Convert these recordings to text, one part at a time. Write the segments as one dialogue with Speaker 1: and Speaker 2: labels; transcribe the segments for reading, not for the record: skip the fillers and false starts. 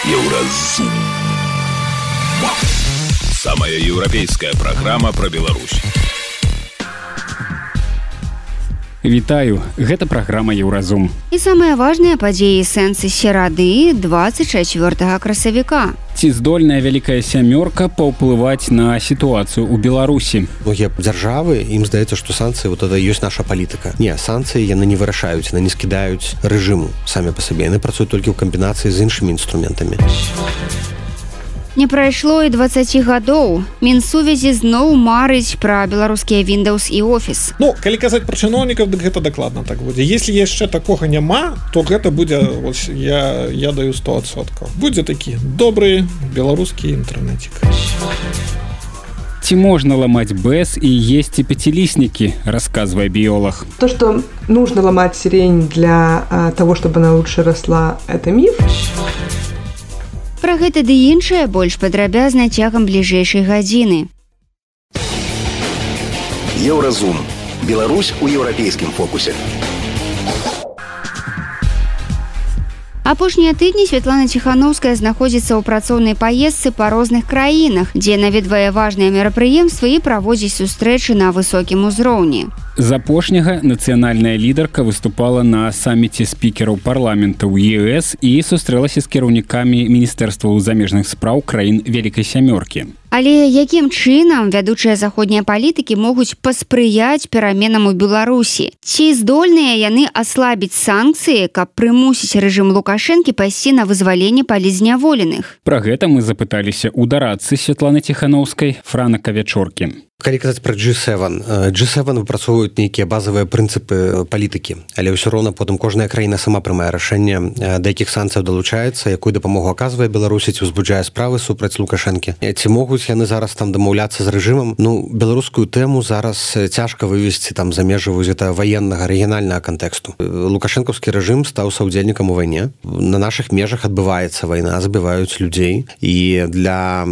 Speaker 1: Еўразум. Самая еўрапейская праграма пра Беларусь.
Speaker 2: Вітаю, гэта праграма Еўразум.
Speaker 3: І самыя важныя падзеі сэнсы серады 24 красавіка.
Speaker 2: Ці здольная вялікая сямёрка паўплываць на сітуацыю ў Беларусі?
Speaker 4: Многія дзяржавы, ім здаецца, што санкцыі вот это ёсць наша палітыка. Не, санкцыі яны не вырашаюць, яны не скідаюць рэжыму самі па сабе. Яны працуюць толькі ў камбінацыі з іншымі інструментамі.
Speaker 3: Не прайшло і 20 гадоў. Мінсувязі зноў марыць пра беларускія Windows і Office.
Speaker 5: Ну, калі казаць пра чыноўнікаў, дык гэта дакладна так будзе. Если яшчэ такога няма, то гэта будзе, ось, я даю 100%. Будзе такі добры беларускі інтэрнетик.
Speaker 2: Ці можна ламаць БЭС і есці пяціліснікі, расказвае біолог.
Speaker 6: То, что нужно ломать сирень для того, чтобы она лучше росла, это миф.
Speaker 3: Пра гэта ды іншае больш падрабязна цягам бліжэйшай гадзіны.
Speaker 1: Еўразум. Беларусь у еўрапейскім фокусе.
Speaker 3: Апошнія тыдні Святлана Ціханаўская знаходзіцца ў працоўнай паездцы па розных краінах, дзе наведвае важныя мерапрыемствы і праводзіць сустрэчы на высокім узроўні.
Speaker 2: З апошняга нацыянальная лідарка выступала на саміце спікераў парламентаў ЕС і сустрэлася з кіраўнікамі міністэрстваў замежных спраў краін Вялікай сямёркі.
Speaker 3: Але якім чынам вядучыя заходнія палітыкі могуць паспрыяць пераменам у Беларусі? Ці здольныя яны аслабіць санкцыі, каб прымусіць рэжым Лукашэнкі пайсці на вызваленне палізняволеных?
Speaker 2: Пра гэта мы запыталіся ў дарадцы Святланы Ціханаўскай Франака Вячоркі.
Speaker 4: Калі казаць пра G7 выпрацоўваюць нейкія базавыя прынцыпы палітыкі, але ўсё роўна потым кожная краіна сама прымае рашэнне, да якіх санкцыяў далучаецца, якую дапамогу аказвае Беларусі, ці ўзбуджае справы супраць Лукашэнкі. Ці могуць яны зараз там дамаўляцца з рэжымам? Ну, беларускую тэму зараз цяжка вывесці там за межы гэта ваеннага рэгіянальнага кантэксту. Лукашэнкаўскі рэжым стаў саўдзельнікам у вайне. На нашых межах адбываецца вайна, забіваюць людзей. І для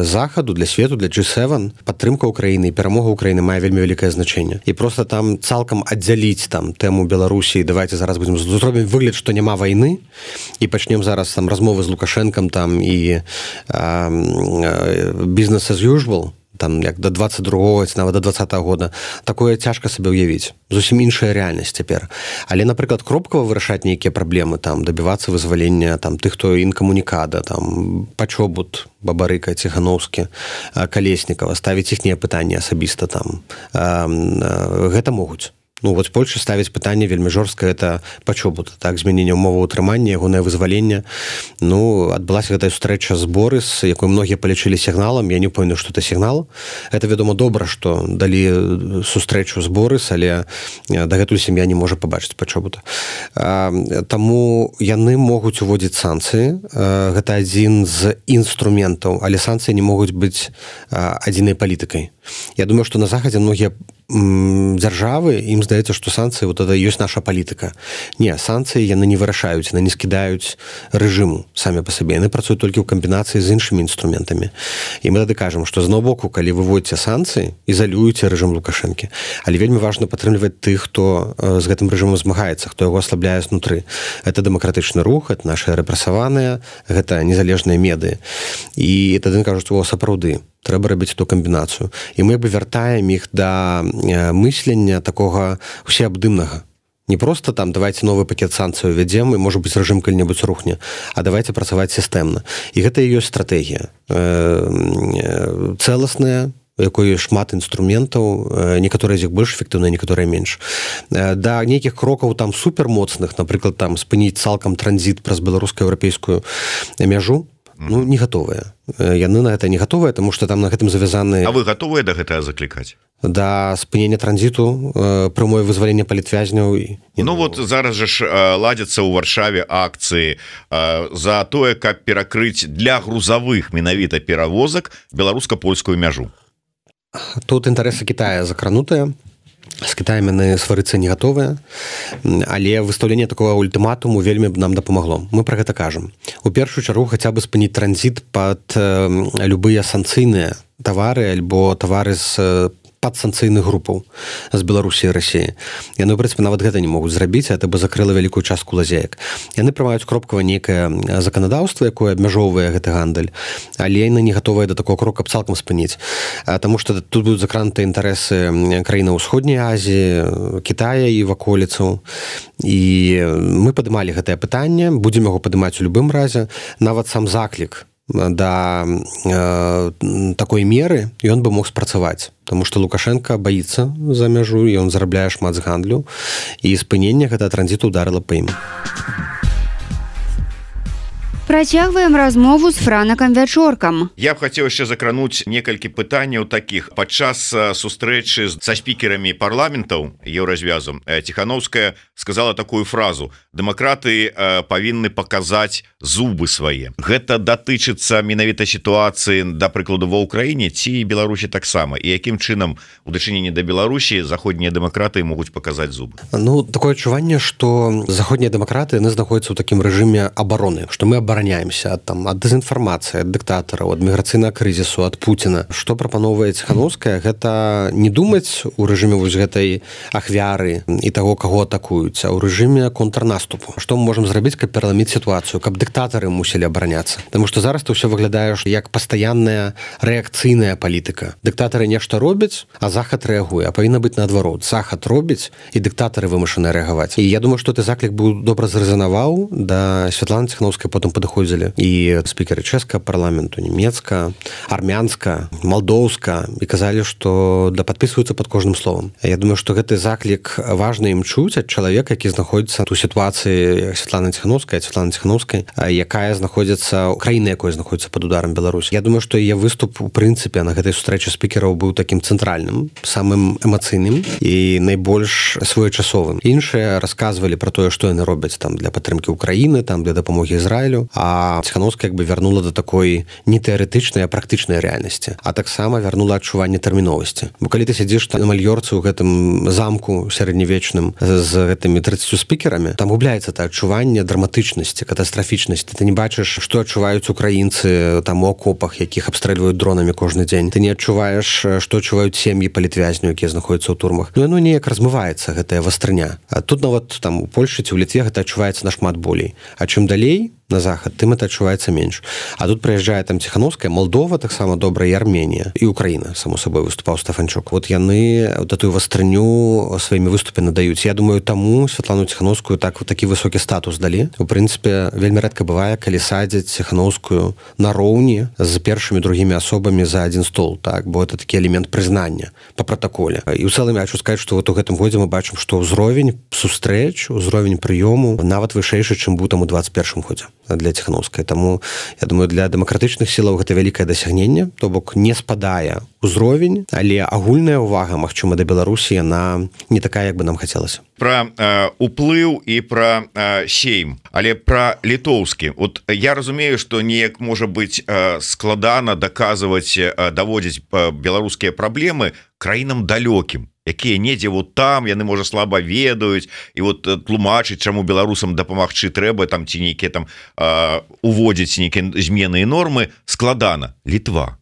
Speaker 4: захаду, для свету, для G7 падтрымка Украіны і перамога Украіны мае вельмі вялікае значэнне. І проста там цалкам аддзяліць там тэму Беларусі, давайте зараз будзем зробім выгляд, што няма вайны, і пачнем зараз там размовы з Лукашэнкам там і business as usual, там як до 22-го, ці нават до 20-го года, такое цяжка сабе ўявіць. Зусім іншая рэальнасць цяпер. Але, напрыклад, кропкава вырашаць нейкія праблемы, там дабівацца вызвалення там тых, хто інкамунікада, там Пачобут, Бабарыка, Ціханаўскі, Калеснікава, ставіць іхнія пытанні асабіста там. Гэта могуць. Ну, вот Польша ставіць пытанне вельмі жорстка, это Пачобут, так, змяненне ўмоваў утрымання, ягонае вызваленне. Ну, адбылася гэтая сустрэча з Борыс, якую многія палічылі сігналам, я не памятаю, што это сігнал. Это, вядома, добра, што далі сустрэчу з Борыс, але дагэтуль сям'я не можа пабачыць Пачобута. Таму яны могуць уводзіць санкцыі. Гэта адзін з інструментаў, але санкцыі не могуць быць адзінай палітыкай. Я думаю, што на Захадзе многія дзяржавы, ім здаецца, што санкцыі вот это ёсць наша палітыка. Не, санкцыі яны не вырашаюць, яны не скідаюць рэжыму самі па сабе. Яны працуюць толькі ў камбінацыі з іншымі інструментамі. І мы тады кажам, што з аднаго боку, калі вы вводзіце санкцыі, ізалюеце рэжым Лукашэнкі. Але вельмі важна падтрымліваць тых, хто з гэтым рэжымам змагаецца, хто яго аслабляе знутры. Гэта дэмакратычны рух, гэта нашы рэпрэсаваныя, гэта незалежныя медыі. І тады кажуць, о, сапраўды, трэба рабіць ту камбінацыю. І мы вяртаем іх да мыслення такога усеабдымнага. Не просто там давайте новы пакет санкцыяў увядзем і, можа быць, рэжым калі-небудзь рухне, а давайте працаваць сістэмна. І гэта і ёсць стратэгія. Цэласная, у якой ёсць шмат інструментаў, некаторыя з іх больш эфектыўныя, некаторыя менш. Да нейкіх крокаў там супермоцных, напрыклад, там спыніць цалкам транзіт праз беларуска-еўрапейскую мяжу, ну, не гатовыя. Яны на гэта не гатовыя, таму што там на гэтым завязаны...
Speaker 7: А вы гатовыя да гэтага заклікаць?
Speaker 4: Да спынення транзіту, прямое вызваленне палітвязняў.
Speaker 7: Ну вот зараз жа ж ладзяцца ў Варшаве акцыі за тое, каб перакрыць для грузавых менавіта перавозак беларуска-польскую мяжу.
Speaker 4: Тут інтарэсы Кітая закранутыя. З Кітаем яны сварыцца не гатовыя, але выстаўленне такого ультыматуму вельмі нам дапамагло. Мы пра гэта кажам. У першую чаргу хаця бы спыніць транзіт пад любыя санкцыйныя тавары альбо тавары з падсанкцыйных групаў з Беларусі і Расіі. Яны, ў прынцыпе, нават гэта не могуць зрабіць, это бы закрыла вялікую частку лазеек. Яны прымаюць кропкава нейкае заканадаўства, якое абмяжоўвае гэты гандаль, але яны не гатовыя да такого крока цалкам спыніць. Таму што тут будуць закрануты інтарэсы краінаў Усходняй Азіі, Китая і ваколіцаў. І мы падымалі гэтае пытанне, будзем яго падымаць у любым разе. Нават сам заклік да такой меры ён бы мог спрацаваць, тому што Лукашенко баіцца за мяжу, і ён зарабляе шмат з гандлю, і спыненне гэта транзіту ударыла па ім.
Speaker 3: Працягваем размову з Франакам Вячоркам.
Speaker 7: Я б хацеў яшчэ закрануць некалькі пытанняў такіх. Падчас сустрэчы са спікерамі парламентаў еўразвязу Ціхановская сказала такую фразу: дэмакраты павінны паказаць зубы свае. Гэта датычыцца менавіта сітуацыі, да прыкладу, ва Ўкраіне ці Беларусі таксама, і якім чынам у дачыненні да Беларусі заходнія дэмакраты могуць паказаць зубы?
Speaker 4: Ну, такое адчуванне, што заходнія дэмакраты яны знаходзяцца ў такім рэжыме абароны, што мы абараняемся ад дэзінфармацыі, ад дыктатараў, ад міграцыйнага крызісу, ад Пуціна. Што прапановвае Ціхановская, гэта не думаць у рэжыме вось гэтай ахвяры і таго, каго атакуюць, а ў рэжыме контрнаступу. Што мы можам зрабіць, каб пераламіць сітуацыю, каб дыктатары мусілі абараняцца? Таму што зараз ўсё выглядае як пастаянная рэакцыйная палітыка. Дыктатары нешта робяць, а захад рэагуе, а павінна быць наадварот. Захад робіць, і дыктатары вымушаны рэагаваць. І я думаю, што ты заклік быў добра зрэзанаваў, да Святланы Ціхановскай потым падыходзілі і спікеры чэшскага парламенту, нямецка, армянска, малдоўска, і казалі, што да падпісваюцца пад кожным словам. Я думаю, што гэты заклік важна ім чуць ад чалавека, які знаходзіцца у сітуацыі Святланы Ціхановскай, якая знаходзіцца, краіна якой знаходзіцца пад ударам Беларусь. Я думаю, што яе выступ у прынцыпе на гэтай сустрэчы спікераў быў такім цэнтральным, самым эмацыйным і найбольш своечасовым. Іншыя расказвалі пра тое, што яны робяць там для падтрымкі Украіны, там для дапамогі Ізраілю, а Ціхановская як бы вярнула да такой не тэарэтычнай, а практычнай рэальнасці, а таксама вярнула адчуванне тэрміновасці. Бо калі ты сядзіш на Мальёрцы ў гэтым замку сярэднявечным з гэтымі 30 спікерамі, там губляецца та адчуванне драматычнасці, катастрафічнасці. Ты не бачыш, што адчуваюць украінцы там у акопах, якіх абстрэльваюць дронамі кожны дзень. Ты не адчуваеш, што адчуваюць сем'і палітвязняў, якія знаходзяцца ў турмах. Ну яно неяк размываецца, гэтая вастрыня. А тут нават там у Польшчы ці ў Літве гэта адчуваецца нашмат болей. А чым далей на захад, тым это адчуваецца менш. А тут прыязджае там Ціхановская, Малдова таксама добра, і Арменія, і Украіна, само сабой, выступаў Стафанчук. Вот яны такую вастрыню сваімі выступе надаюць. Я думаю, таму Святлану Ціхановскую такі высокі статус далі. У прынцыпе, вельмі рэдка бывае, калі садзяць Ціхановскую нароўні з першымі другімі асобамі за адзін стол, так, бо это такі элемент прызнання па пратаколе. І ў цэлым я хочу сказаць, што вот у гэтым годзе мы бачым, што ўзровень сустрэч, узровень прыёму нават вышэйшы, чым быў там у 21 годзе для Ціхановскай. Таму, я думаю, для дэмакратычных сілаў гэта вялікае дасягненне, то бок не спадае узровень, але агульная ўвага, магчыма, да Беларусі, яна не такая, як бы нам хацелася.
Speaker 7: Пра уплыў і пра сейм, але пра літоўскі. Вот я разумею, што неяк можа быць складана даказваць, даводзіць беларускія праблемы краінам далёкім, якія недзе вот там, яны, можа, слаба ведаюць, і вот тлумачыць, чаму беларусам дапамагчы трэба, там ці нейкія там уводзіць нейкія змены і нормы, складана. Літва.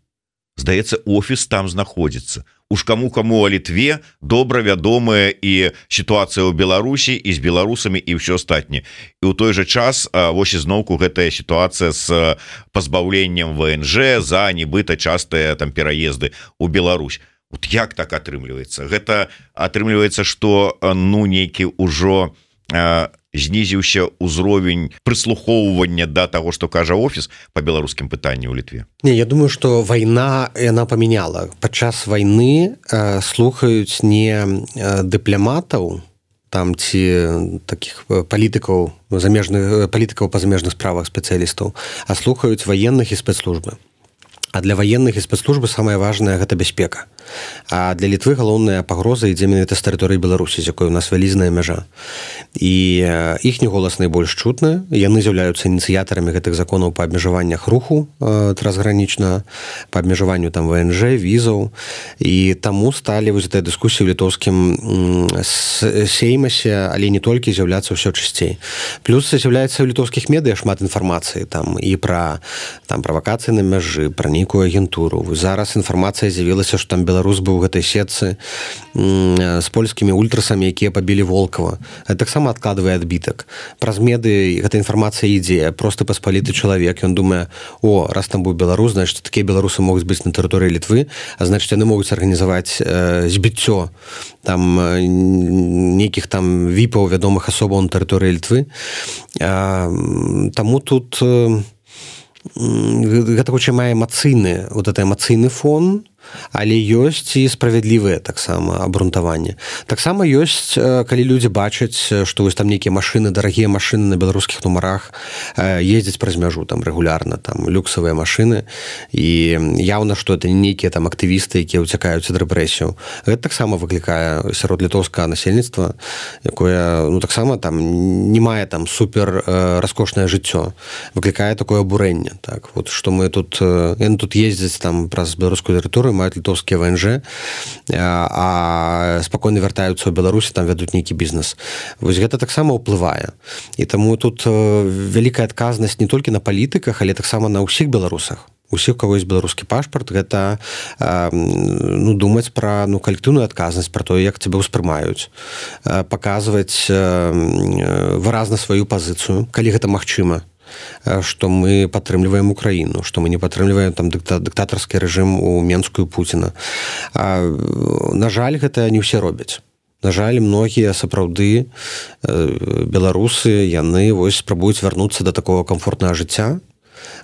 Speaker 7: Здаецца, офіс там знаходзіцца. Уж каму а Літве добра вядомая і сітуацыя ў Беларусі, і з беларусамі, і ўсё астатняе. І ў той жа час вось ізноўку гэтая сітуацыя з пазбаўленнем ВНЖ за нібыта частыя там пераезды ў Беларусь. Вот як так атрымліваецца? Гэта атрымліваецца, што ну нейкі ўжо знізіўся ўзровень прыслухоўвання да таго, што кажа офіс па беларускім пытанні ў Літве.
Speaker 4: Не, я думаю, што вайна яна памяняла. Падчас вайны слухаюць не дыпламатаў там ці такіх палітыкаў замежных палітыкаў па замежных справах спецыялістаў, а слухаюць ваенных і спецслужбы. А для ваенных і спецслужбы самае важнае гэта бяспека. А для Літвы галоўная пагроза ідзе менавіта з тэрыторыі Беларусі, з якой у нас вялізная мяжа. І іхні голас найбольш чутны. Яны з'яўляюцца ініцыятарамі гэтых законаў па абмежаваннях руху трансгранічна, па абмежаванню там ВНЖ, візаў. І таму сталі вось гэтыя дыскусіі ў літоўскім сеймасе, але не толькі, з'яўляцца ўсё часцей. Плюс з'яўляецца ў літоўскіх медыа шмат інфармацыі там і пра там правакацыі на мяжы, пра нейкую агентуру. Зараз інфармацыя з'явілася, што там беларус быў у гэтай сетцы з польскімі ультрасамі, якія пабілі Волкова. Гэта таксама адкладвае адбітак. Праз меды гэта інфармацыя ідзе. Просты паспаліты чалавек, ён думае, раз там быў беларус, значыць, такія беларусы могуць быць на тэрыторыі Літвы, а значыць, яны могуць арганізаваць збіццё там нейкіх там віпаў, вядомых асобаў на тэрыторыі Літвы. Таму тут гэта хутчэй мае эмацыйны фон, але ёсць і справядлівыя таксама абрунтаванне. Таксама ёсць, калі людзі бачаць, што вось там нейкія машыны, дарагія машыны на беларускіх нумарах ездзяць праз мяжу там рэгулярна, там люксавыя машыны, і яўна, што это не нейкія там актывісты, якія ўцякаюць ад рэпрэсіяў. Гэта таксама выклікае сярод літоўскага насельніцтва, якое таксама там не мае там супер раскошнае жыццё, выклікае такое абурэнне, так вот, што мы тут яны тут ездзяць там праз беларускую тэрыторыю, маюць літоўскія ВНЖ, а спакойна вяртаюцца ў Беларусі, там вядуць нейкі бізнес. Вось гэта таксама ўплывае. І таму тут вялікая адказнасць не толькі на палітыках, але таксама на ўсіх беларусах. Усіх, у каго ёсць беларускі пашпарт, гэта думаць пра калектыўную адказнасць, пра тое, як цябе ўспрымаюць, паказваць выразна сваю пазіцыю, калі гэта магчыма, што мы падтрымліваем Украіну, што мы не падтрымліваем там дыктатарскі рэжым у Менску і Пуціна. На жаль, гэта не ўсе робяць. На жаль, многія сапраўды беларусы, яны вось спрабуюць вярнуцца да такого камфортнага жыцця,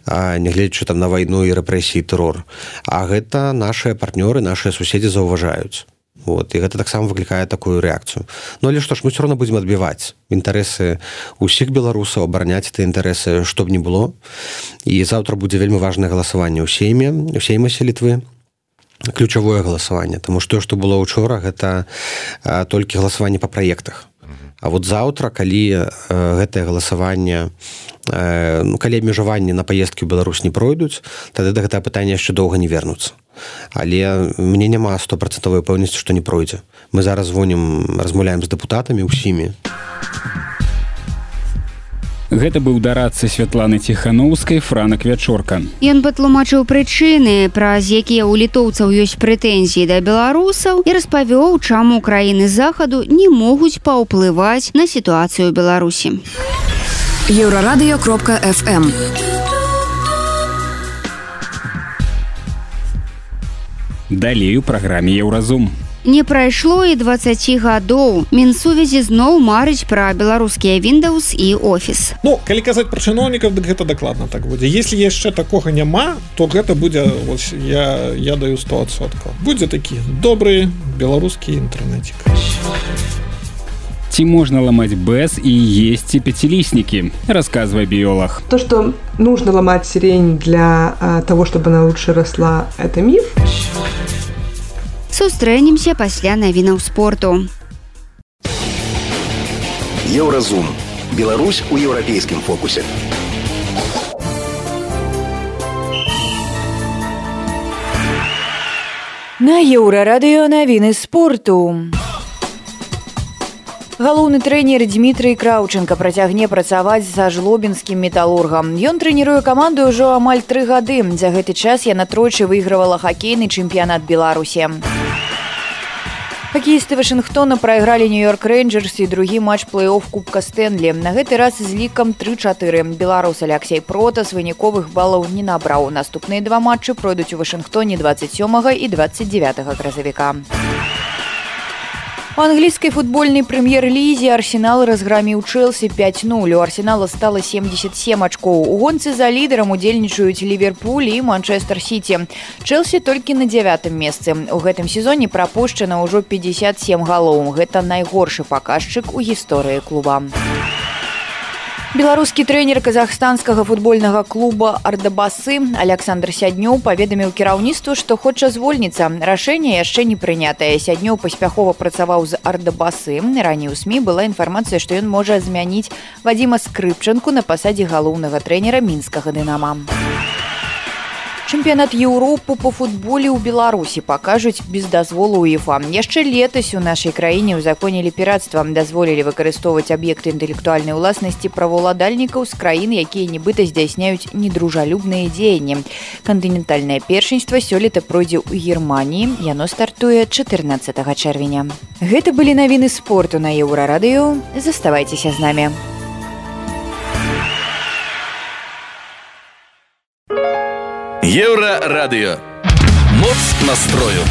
Speaker 4: нягледзячы там на вайну і рэпрэсіі, тэрор. А гэта нашыя партнёры, нашыя суседзі заўважаюць. Вот, і гэта таксама выклікае такую рэакцыю. Але што ж, мы ўсё роўна будзем адбіваць інтарэсы ўсіх беларусаў, абараняць тыя інтарэсы, што б ні было. І заўтра будзе вельмі важнае галасаванне ў сеймасе Літвы. Ключавое галасаванне, таму што было ўчора, гэта толькі галасаванне па праектах. А вот заўтра, калі гэтае галасаванне, калі абмежаванні на паездкі ў Беларусь не пройдуць, тады да гэтага пытання яшчэ доўга не вернуцца. Але мне няма 100% пэўнасці, што не пройдзе. Мы зараз размаўляем з дэпутатамі ўсімі.
Speaker 2: Гэта быў дарадца Святланы Ціхановскай Франак Вячорка.
Speaker 3: Ён патлумачыў прычыны, праз якія ў літоўцаў ёсць прэтэнзіі да беларусаў, і распавёў, чаму краіны захаду не могуць паўплываць на сітуацыю ў Беларусі.
Speaker 8: Еўрарадыё.фм.
Speaker 2: Далей у праграме Еўразум.
Speaker 3: Не прайшло і 20 гадоў. Мінсувязі зноў марыць пра беларускія Windows і Office.
Speaker 5: Калі казаць пра чыноўнікаў, дык гэта дакладна так будзе. Если яшчэ такога няма, то гэта будзе, я даю 100%. Будзе такі добры беларускі інтэрнетик.
Speaker 2: Ці можна ламаць БЭС і есці пяціліснікі, расказвае біолог.
Speaker 6: То, что нужно ломать сирень для того, чтобы она лучше росла, это миф.
Speaker 3: Сустрэнемся пасля навінаў спорту.
Speaker 1: Еўразум. Беларусь у еўрапейскім фокусе.
Speaker 9: На Еўрарадыё навіны спорту. Галоўны трэнер Дмітрый Краўченка працягне працаваць са жлобінскім металургам. Ён трэніруе каманду ўжо амаль 3 гады. За гэты час яна тройчы выйгравала хакейны чэмпіянат Беларусі. Хакеісты Вашынгтона прайгралі Нью-Йорк Рейнджерс і другі матч плэй-офф Кубка Стэнлі. На гэты раз з лікам 3-4. Беларус Аляксей Протас выніковых балаў не набраў. Наступныя 2 матчы пройдуць у Вашынгтоне 27 і 29 красавіка. У англійскай футбольнай прэм'ер-лізе Арсенал разграміў Чэлсі 5-0. У Арсенала стала 77 ачкоў. У гонцы за лідарам удзельнічаюць Ліверпуль і Манчэстэр Сіці. Чэлсі толькі на 9-м месцы. У гэтым сезоне прапушчана ўжо 57 галоў. Гэта найгоршы паказчык у гісторыі клуба. Беларускі трэнер казахстанскага футбольнага клуба «Ардабасы» Александр Сяднёў паведаміў кіраўніцтву, што хоча звольніцца. Рашэнне яшчэ не прынятае. Сяднёў паспяхова працаваў з «Ардабасы». Раней у СМІ была інфармацыя, што ён можа змяніць Вадзіма Скрыпчанку на пасадзе галоўнага трэнера мінскага «Дынама». Чэмпіянат Еўропы по футболе ў Беларусі пакажуць без дазволу УЕФА. Яшчэ летась у нашай краіне ўзаконілі пірацтва, дазволілі выкарыстоўваць аб'екты інтэлектуальнай уласнасці праваўладальнікаў з краін, якія нібыта здзяйсняюць недружалюбныя дзеянні. Кантынентальнае першынства сёлета пройдзе ў Германіі. Яно стартуе 14 чэрвеня. Гэта былі навіны спорту на Еўрарадыё. Заставайцеся з намі.
Speaker 8: Еўрарадыё. Моц настрою.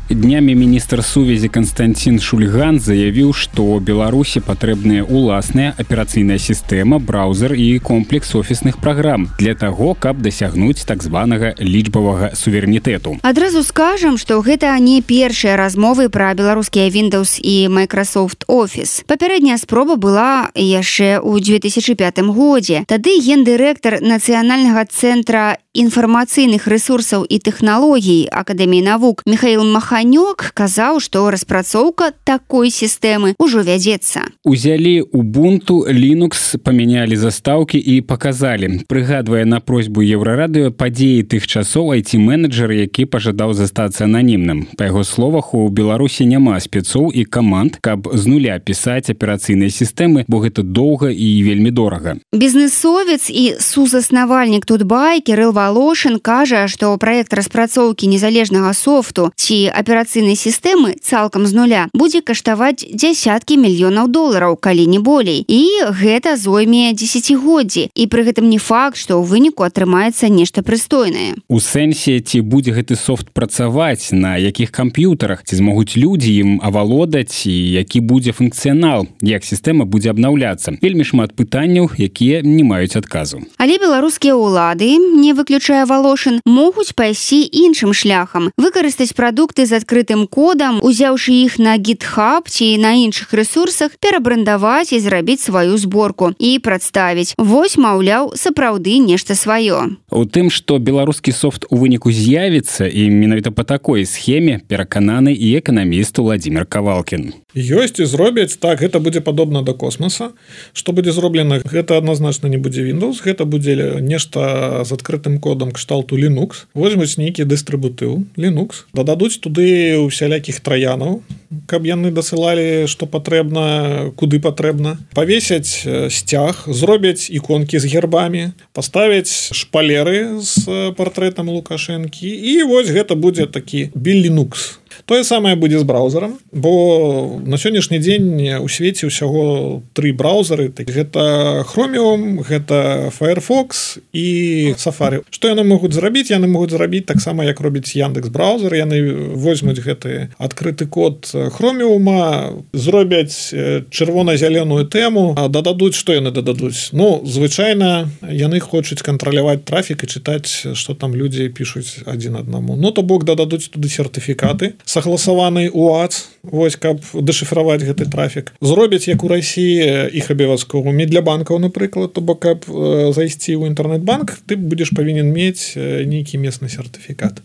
Speaker 2: Днямі міністр сувязі Константин Шульган заявіў, што Беларусі патрэбная уласная аперацыйная сістэма, браузер і комплекс офісных праграм для таго, каб дасягнуць так званага лічбавага суверэнітэту.
Speaker 3: Адразу скажам, што гэта не першыя размовы пра беларускія Windows і Microsoft Office. Папярэдняя спроба была яшчэ ў 2005 годзе. Тады гендырэктар Нацыянальнага цэнтра інфармацыйных рэсурсаў і тэхналогій Акадэміі навук Михаил Маханёк казаў, што распрацоўка такой сістэмы ўжо вядзецца.
Speaker 2: Узялі Ubuntu, Linux, памянялі застаўкі і паказалі. Прыгадвае на просьбу Еўрарадыё падзеі тых часоў IT-менеджер, які пажадаў застацца ананімным. Па яго словах, у Беларусі няма спецоў і каманд, каб з нуля пісаць аперацыйныя сістэмы, бо гэта доўга і вельмі дорага.
Speaker 3: Бізнэсовец і сузаснавальнік Тутбай Кірыл Волошин кажа, што праект распрацоўкі незалежнага софту ці аперацыйнай сістэмы цалкам з нуля будзе каштаваць дзясяткі мільёнаў долараў, калі не болей. І гэта зойме дзесяцігоддзі. І пры гэтым не факт, што ў выніку атрымаецца нешта прыстойнае.
Speaker 2: У сэнсе, ці будзе гэты софт працаваць, на якіх камп'ютарах, ці змогуць людзі ім авалодаць, і які будзе функцыянал, як сістэма будзе абнаўляцца. Вельмі шмат пытанняў, якія не маюць адказу.
Speaker 3: Але беларускія ўлады, не выключае Волошин, могуць пайсці іншым шляхам. Выкарыстаць прадукты з адкрытым кодам, узяўшы іх на GitHub ці на іншых рэсурсах, перабрандаваць і зрабіць сваю зборку і прадставіць. Вось, маўляў, сапраўды нешта сваё.
Speaker 2: У тым, што беларускі софт у выніку з'явіцца, і менавіта па такой схеме перакананы і эканаміст Владзімир Кавалкін.
Speaker 5: Ёсць і зробяць, так, гэта будзе падобна да космоса. Што будзе зроблена, гэта адназначна не будзе Windows, гэта будзе нешта з адкрытым кодам кшталту Linux. Возьмуць нейкі дыстрыбутыў Linux, дададуць туды усялякіх траянаў, каб яны дасылалі, што патрэбна, куды патрэбна. Павесяць сцяг, зробяць іконкі з гербамі, паставяць шпалеры з партрэтам Лукашэнкі, і вось гэта будзе такі Linux. Тое самае будзе з браузерам, бо на сённяшні дзень у свеце ўсяго 3 браузеры. Гэта Chromium, гэта Firefox і Safari. Што яны могуць зрабіць? Яны могуць зрабіць таксама, як робіць Яндекс браузер. Яны возьмуць гэты адкрыты код Chromium, зробяць чырвона-зялёную тэму, дададуць, што яны дададуць? Ну, звычайна, яны хочуць кантраляваць трафік і чытаць, што там людзі пішуць адзін аднаму. Ну, то бок дададуць туды сертыфікаты, сагласаваны УАЦ, вось, каб дэшыфраваць гэты трафік. Зробяць, як у Расіі, іх абавязковымі для банкаў, напрыклад, то бок, каб зайсці ў інтэрнэт-банк, ты будзеш павінен мець нейкі месны сертыфікат.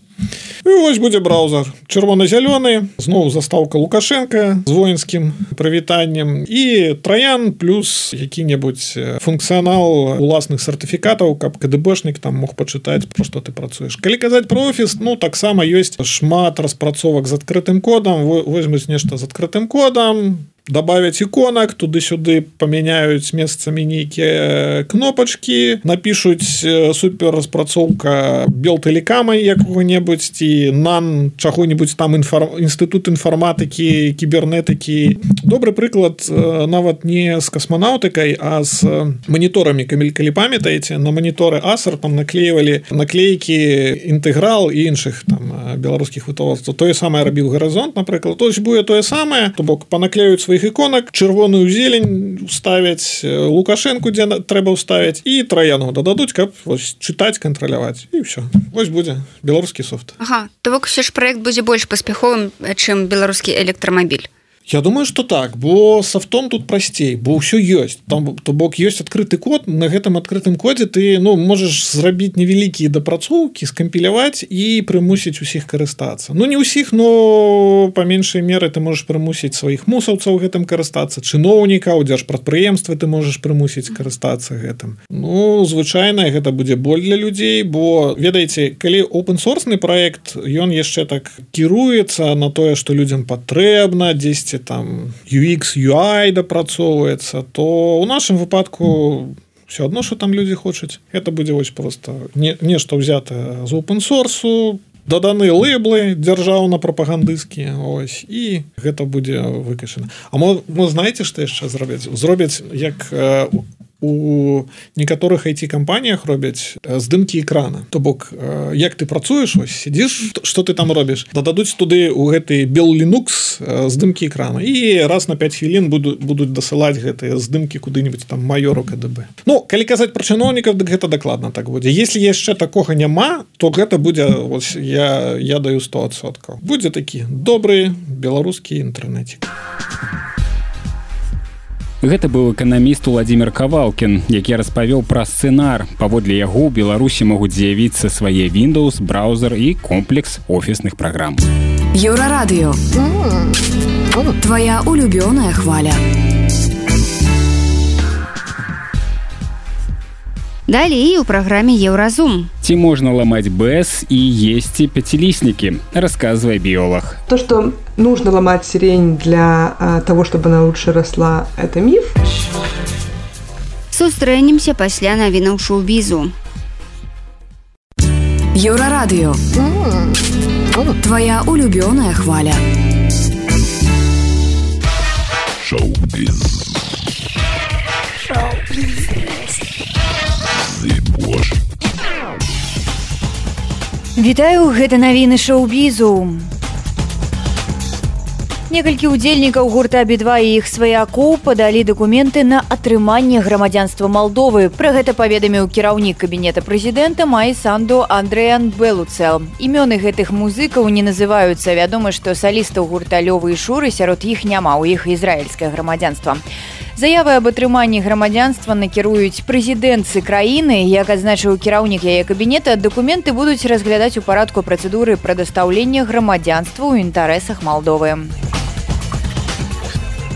Speaker 5: І вось будзе браузер чырвона-зялёны, зноў застаўка Лукашенка з воінскім прывітаннем і траян плюс які-небудзь функцыянал уласных сертыфікатаў, каб КДБшнік там мог пачытаць, про што ты працуеш. Калі казаць про офіс, ну, таксама ёсць шмат распрацовак з адкрытым кодам, возьмуць нешта з адкрытым кодам, добавить іконак, туды-сюды памяняюць месцамі нейкія кнопачкі, напішуць супер распрацоўка Белтэлекама якога-небудзь ці НАН чаго-небудзь там інстытут інфарматыкі, кібернетыкі. Добры прыклад нават не з касманаўтыкай, а з маніторамі, калі памятаеце, на маніторы Acer там наклеівалі наклейкі інтэграл і іншых там беларускіх вытворцаў. Тое самае рабіў Гарызонт, напрыклад. Тось будзе тое самае, то бок панаклеюць сваіх іконак, чырвоную зелень ставяць, Лукашэнку, дзе трэба ўставіць, і траяну дададуць, каб вось, чытаць, кантраляваць. І ўсё. Вось будзе беларускі софт.
Speaker 3: Ага, то бок усё ж праект будзе больш паспяховым, чым беларускі электрамабіль.
Speaker 5: Я думаю, что так, бо софтом тут прасцей, бо ўсё ёсць. Там, то бок, ёсць адкрыты код, на гэтым адкрытым кодзе ты можаш зрабіць невялікія дапрацоўкі, скампіляваць і прымусіць усіх карыстацца. Не ўсіх, но па меншай меры ты можаш прымусіць сваіх мусаўцаў гэтым карыстацца, чыноўнікаў, дзяржпрадпрыемствы ты можаш прымусіць карыстацца гэтым. Звычайна гэта будзе боль для людзей, бо, ведаеце, калі open-source-ны праект, ён яшчэ так кіруецца на тое, што людзям патрэбна, дзесьці там UX, UI дапрацоўваецца, то ў нашым выпадку все адно, што там людзі хочуць. Гэта будзе вось просто нешта ўзятае з open-source, даданы лейблы дзяржаўна-прапагандысцкія, ось, і гэта будзе выкашана. А мы знаеце, што яшчэ зробяць? Зробяць, як у некаторых IT-кампаніях робяць здымкі экрана. То бок, як ты працуеш, ось, сидзіш, што ты там робіш? Дададуць туды ў гэты Bell Linux здымкі экрана. І раз на 5 хвілін будуць дасылаць гэтыя здымкі куды-нибудь там майору КДБ. Калі казаць пра чыноўнікаў, дык гэта дакладна так будзе. Если яшчэ такога няма, то гэта будзе, ось, я даю 100%. Будзе такі добры беларускі інтэрнэцік.
Speaker 2: Гэта быў эканаміст Владзімир Кавалкін, які распавёў пра сцэнар. Паводле яго ў Беларусі могуць з'явіцца свае Windows, браузер і комплекс офісных праграм.
Speaker 10: Еўрарадыё. Твоя улюбёная хваля.
Speaker 3: Далей у праграме Еўразум.
Speaker 2: Ці можна ламаць БС і есці пяціліснікі, расказвае біолог.
Speaker 6: То, что нужно ломать сирень для того, чтобы она лучше росла, это миф.
Speaker 3: Сустрэнемся пасля навінаў шоу-бізу.
Speaker 10: Еўрарадыё. Твоя улюбёная хваля.
Speaker 11: Шоу-біз.
Speaker 9: Вітаю, гэта навіны шоу-бізу. Некалькі удзельнікаў гурта «Би-2» і іх сваякоў падалі дакументы на атрыманне грамадзянства Малдовы. Пра гэта паведаміў кіраўнік кабінета прэзідэнта Майсанду Андрэян Белуцэл. Імёны гэтых музыкаў не называюцца. Вядома, што салістаў гурта Лёвы і Шуры сярод іх няма, у іх ізраільскае грамадзянства. Заявы аб атрыманні грамадзянства накіруюць прэзідэнтцы краіны. Як адзначыў кіраўнік яе кабінета, дакументы будуць разглядаць у парадку працэдуры прадастаўлення грамадзянства ў інтарэсах Малдовы.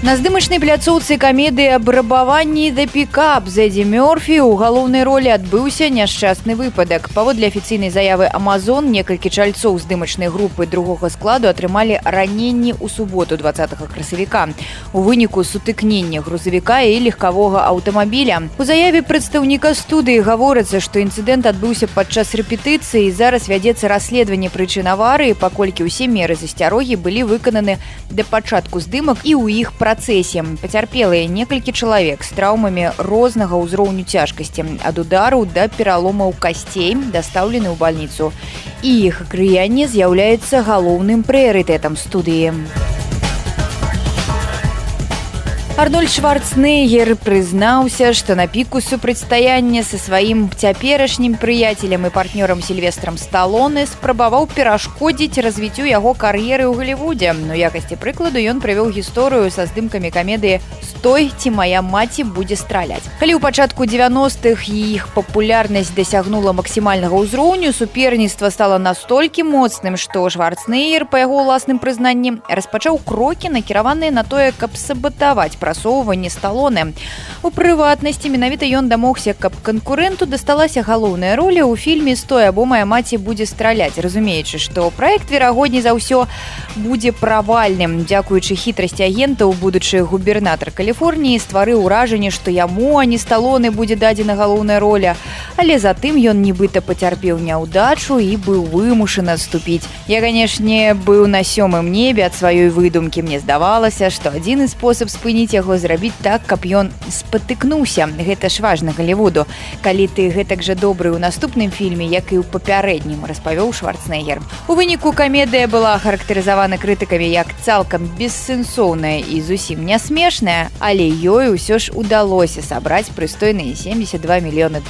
Speaker 9: На здымачнай пляцоўцы камедыі аб рабаванні «The Pickup» з Эдді Мёрфі ў галоўнай ролі адбыўся няшчасны выпадак. Паводле афіцыйнай заявы «Амазон», некалькі чальцоў здымачнай групы другога складу атрымалі раненні ў суботу 20 красавіка. У выніку сутыкнення грузавіка і легкавога аўтамабіля. У заяве прадстаўніка студыі гаворыцца, што інцыдэнт адбыўся падчас рэпетыцыі і зараз вядзецца расследаванне прычын аварыі, паколькі ўсе меры засцярогі былі выкананы да пачатку здымак і ў іх працэсе. Пацярпелыя некалькі чалавек з траўмамі рознага ўзроўню цяжкасці, ад удараў да пераломаў касцей дастаўлены ў бальніцу. І іх акрыянне з'яўляецца галоўным прыярытэтам студыі. Арнольд Шварценеггер прызнаўся, што на піку супрацьстаяння са сваім цяперашнім прыяцелем і партнёрам Сільвестрам Сталоне спрабаваў перашкодзіць развіццю яго кар'еры ў Галівудзе. У якасці прыкладу ён прывёў гісторыю са здымкамі камедыі «Стой, ці мая маці будзе страляць». Калі ў пачатку 90-х іх папулярнасць дасягнула максімальнага ўзроўню, суперніцтва стала настолькі моцным, што Шварценеггер, па яго ўласным прызнанні, распачаў крокі, накіраваныя на тое, каб сабатаваць прасоўванне Сталоне. У прыватнасці менавіта ён дамогся, каб канкурэнту дасталася галоўная роля ў фільме «Стой, або мая маці будзе страляць», разумеючы, што праект, верагодней за ўсё, будзе правальным. Дзякуючы хітрасці агентаў, будучы губернатар Каліфорніі стварыў уражанне, што яму, а не Сталоне, будзе дадзена галоўная роля, але затым ён нібыта пацярпеў няўдачу і быў вымушаны адступіць. Я, канешне, быў на 7-м небе ад сваёй выдумкі. Мне здавалася, што адзіны спосаб спыніць яго зрабіць так, каб ён спатыкнуўся. Гэта ж важна Галівуду. Калі ты гэтак жа добры ў наступным фільме, як і ў папярэднім, распавёў Шварценеггер. У выніку камедыя была характарызавана крытыкамі як цалкам бессэнсоўная і зусім не смешная, але ёй усё ж удалося сабраць прыстойныя $72 мільёны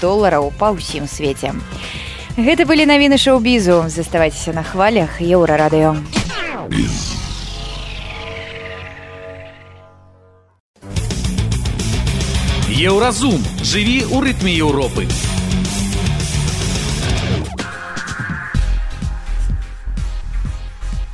Speaker 9: па ўсім свеце. Гэта былі навіны шоу-бізу. Заставайцеся на хвалях Еўрарадыё.
Speaker 8: Еўразум. Жыві ў рытме Еўропы.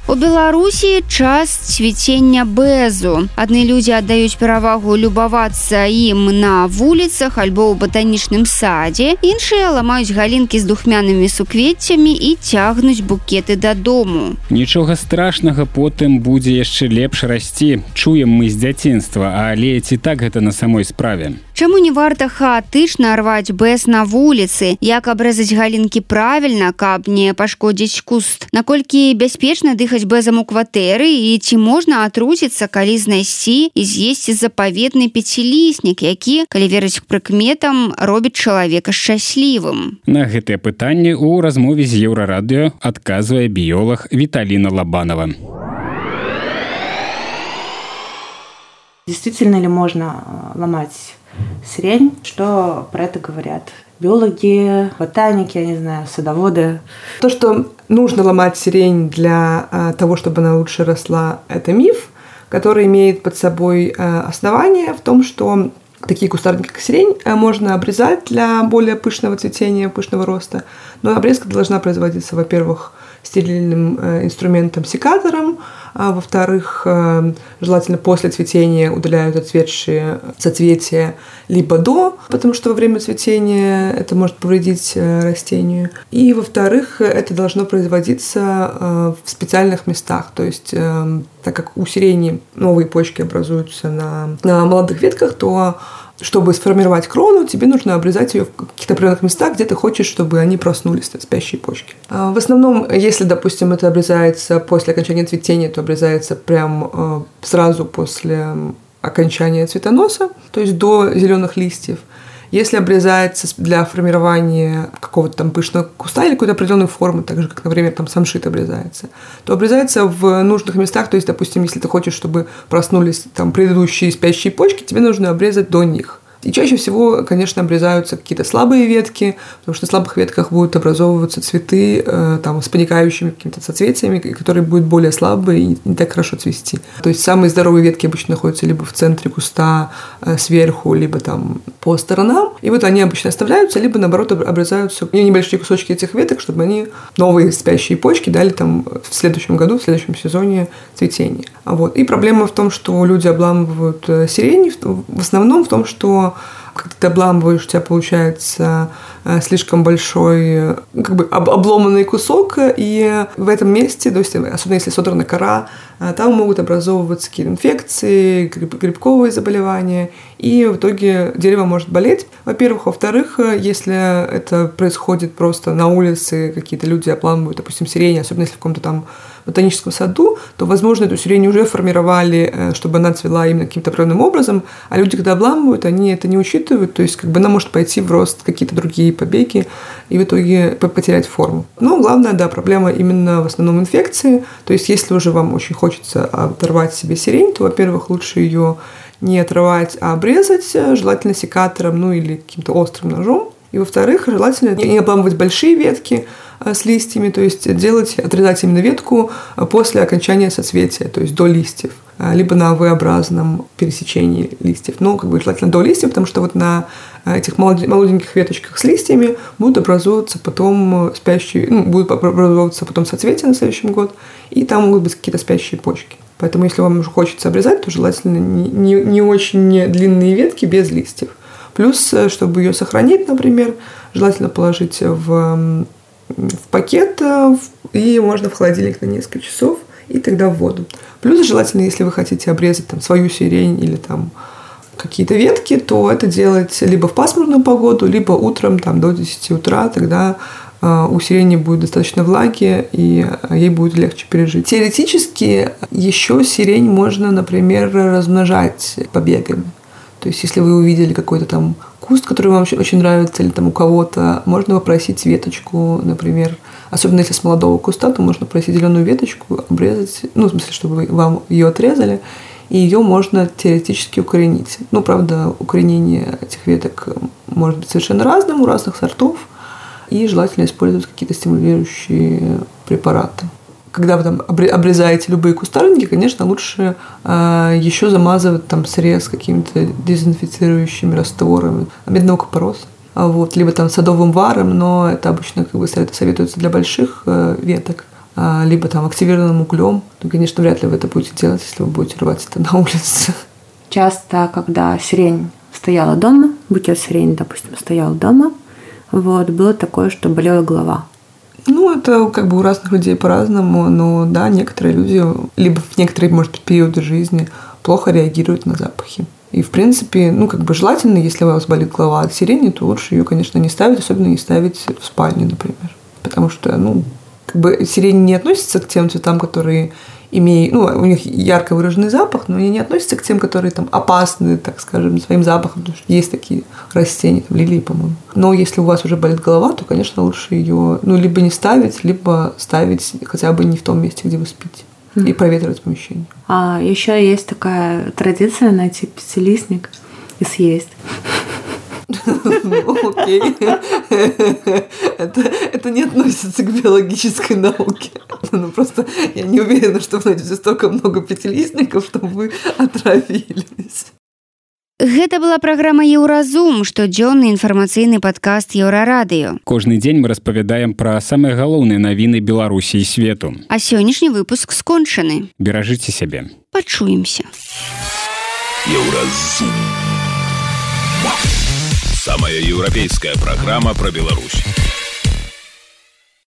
Speaker 3: У Беларусі час цвіцення бэзу. Адны людзі аддаюць перавагу любавацца ім на вуліцах альбо ў батанічным садзе, іншыя ламаюць галінкі з духмянымі суквеццямі і цягнуць букеты дадому.
Speaker 2: Нічога страшнага, потым будзе яшчэ лепш расці. Чуем мы з дзяцінства, але ці так гэта на самой справе?
Speaker 3: Чаму не варта хаатычна рваць бэз на вуліцы? Як абрэзаць галінкі правільна, каб не пашкодзіць куст? Наколькі бяспечна дыхаць бэзам у кватэры і ці можна атруціцца, калі знайсці і з'есці запаветны пяціліснік, які, калі верыць прыкметам, робіць чалавека шчаслівым?
Speaker 2: На гэтае пытанне ў размове з Еўрарадыё адказвае біёлаг Віталіна Лабанова.
Speaker 12: Действительно ли можно ломать сирень? Что про это говорят биологи, ботаники, я не знаю, садоводы?
Speaker 6: То, что нужно ломать сирень для того, чтобы она лучше росла, это миф, который имеет под собой основание в том, что такие кустарники, как сирень, можно обрезать для более пышного цветения, пышного роста. Но обрезка должна производиться, во-первых, стерильным инструментом секатором, а во-вторых, желательно после цветения удаляют отцветшие соцветия либо до, потому что во время цветения это может повредить растению. И во-вторых, это должно производиться в специальных местах, то есть так как у сирени новые почки образуются на молодых ветках, то чтобы сформировать крону, тебе нужно обрезать ее в каких-то определенных местах, где ты хочешь, чтобы они проснулись, спящие почки. В основном, если, допустим, это обрезается после окончания цветения, то обрезается прям сразу после окончания цветоноса, то есть до зеленых листьев. Если обрезается для формирования какого-то там пышного куста или какой-то определенной формы, так же, как, например, там самшит обрезается, то обрезается в нужных местах. То есть, допустим, если ты хочешь, чтобы проснулись там предыдущие спящие почки, тебе нужно обрезать до них. И чаще всего, конечно, обрезаются какие-то слабые ветки, потому что на слабых ветках будут образовываться цветы там, с паникающими какими-то соцветиями, которые будут более слабые и не так хорошо цвести. То есть самые здоровые ветки обычно находятся либо в центре куста, сверху, либо там по сторонам. И вот они обычно оставляются, либо, наоборот, обрезаются небольшие кусочки этих веток, чтобы они новые спящие почки дали там в следующем году, в следующем сезоне цветения. Вот. И проблема в том, что люди обламывают сирень, в основном в том, что когда ты обламываешь, у тебя получается слишком большой, как бы обломанный кусок, и в этом месте, то есть, особенно если содрана кора, там могут образовываться какие-то инфекции, грибковые заболевания, и в итоге дерево может болеть, во-первых. Во-вторых, если это происходит просто на улице, какие-то люди обламывают, допустим, сирень, особенно если в каком-то там ботаническом саду, то, возможно, эту сирень уже формировали, чтобы она цвела именно каким-то определенным образом, а люди, когда обламывают, они это не учитывают, то есть как бы она может пойти в рост какие-то другие побеги и в итоге потерять форму. Но главная, да, проблема именно в основном инфекции, то есть если уже вам очень хочется оторвать себе сирень, то, во-первых, лучше ее не отрывать, а обрезать, желательно секатором, ну или каким-то острым ножом. И, во-вторых, желательно не обламывать большие ветки с листьями, то есть отрезать именно ветку после окончания соцветия, то есть до листьев, либо на V-образном пересечении листьев. Но как бы желательно до листьев, потому что вот на этих молоденьких веточках с листьями будут образовываться потом будут образовываться потом соцветия на следующий год, и там могут быть какие-то спящие почки. Поэтому, если вам уже хочется обрезать, то желательно не очень длинные ветки без листьев. Плюс, чтобы ее сохранить, например, желательно положить в пакет, и можно в холодильник на несколько часов, и тогда в воду. Плюс желательно, если вы хотите обрезать там свою сирень или там какие-то ветки, то это делать либо в пасмурную погоду, либо утром там, до 10 утра, тогда у сирени будет достаточно влаги, и ей будет легче пережить. Теоретически еще сирень можно, например, размножать побегами. То есть, если вы увидели какой-то там куст, который вам очень нравится, или там у кого-то, можно попросить веточку, например. Особенно если с молодого куста, то можно попросить зеленую веточку, обрезать, в смысле, чтобы вам ее отрезали, и ее можно теоретически укоренить. Правда, укоренение этих веток может быть совершенно разным, у разных сортов, и желательно использовать какие-то стимулирующие препараты. когда вы там обрезаете любые кустарники, конечно, лучше еще замазывать там срез какими-то дезинфицирующими растворами медного купороса. Вот, либо там садовым варом, но это обычно как бы советуется для больших веток, либо там активированным углем. Ну, конечно, вряд ли вы это будете делать, если вы будете рвать это на улице.
Speaker 12: Часто, когда сирень стояла дома, букет сирени, допустим, стоял дома, вот, было такое, что болела голова.
Speaker 6: Ну, это как бы у разных людей по-разному, но да, некоторые люди, либо в некоторые, может быть, периоды жизни плохо реагируют на запахи. И, в принципе, ну, как бы желательно, если у вас болит голова от сирени, то лучше ее, конечно, не ставить, особенно не ставить в спальне, например. Потому что, ну, как бы сирень не относится к тем цветам, которые имеют, ну, у них ярко выраженный запах, но они не относятся к тем, которые там опасны, так скажем, своим запахом, потому что есть такие растения, там, лилии, по-моему. Но если у вас уже болит голова, то, конечно, лучше ее, ну, либо не ставить, либо ставить хотя бы не в том месте, где вы спите. И проветривать помещение.
Speaker 12: А еще есть такая традиция найти пятилистник и съесть.
Speaker 6: Окей. Это не относится к биологической науке. Ну, просто я не уверена, что вы найдете столько много пятилистников, чтобы вы отравились.
Speaker 3: Гэта была праграма Еўразум, штодзённы інфармацыйны падкаст Еўрарадыё.
Speaker 2: Кожны дзень мы распавядаем пра самыя галоўныя навіны Беларусі і свету.
Speaker 3: А сённяшні выпуск скончаны.
Speaker 2: Беражыце сябе.
Speaker 3: Пачуемся.
Speaker 11: Еўразум. Самая еўрапейская праграма пра Беларусь.